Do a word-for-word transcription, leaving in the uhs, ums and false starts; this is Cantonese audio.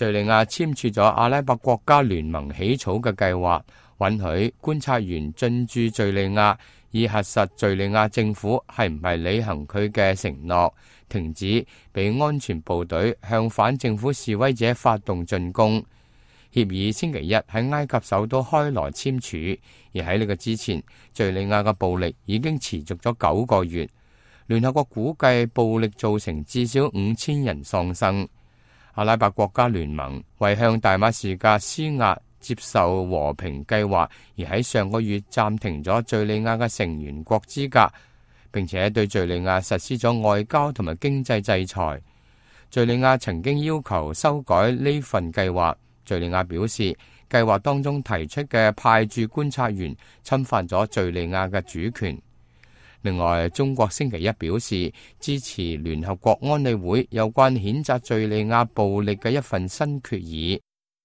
敘利亞簽署咗阿拉伯國家聯盟起草嘅計劃，允許觀察員進駐敘利亞，以核實敘利亞政府係唔係履行佢嘅承諾，停止俾安全部隊向反政府示威者發動進攻。協議星期一喺埃及首都開羅簽署，而喺呢個之前，敘利亞嘅暴力已經持續咗九個月。聯合國估計暴力造成至少五千人喪生。阿拉伯國家聯盟為向大馬士革施壓接受和平計劃，而喺上個月暫停咗敘利亞嘅成員國資格，並且對敘利亞實施咗外交同埋經濟制裁。敘利亞曾經要求修改呢份計劃。敘利亞表示，計劃當中提出嘅派駐觀察員侵犯咗敘利亞嘅主權。另外，中國星期一表示支持聯合國安理會有關譴責敘利亞暴力嘅一份新決議。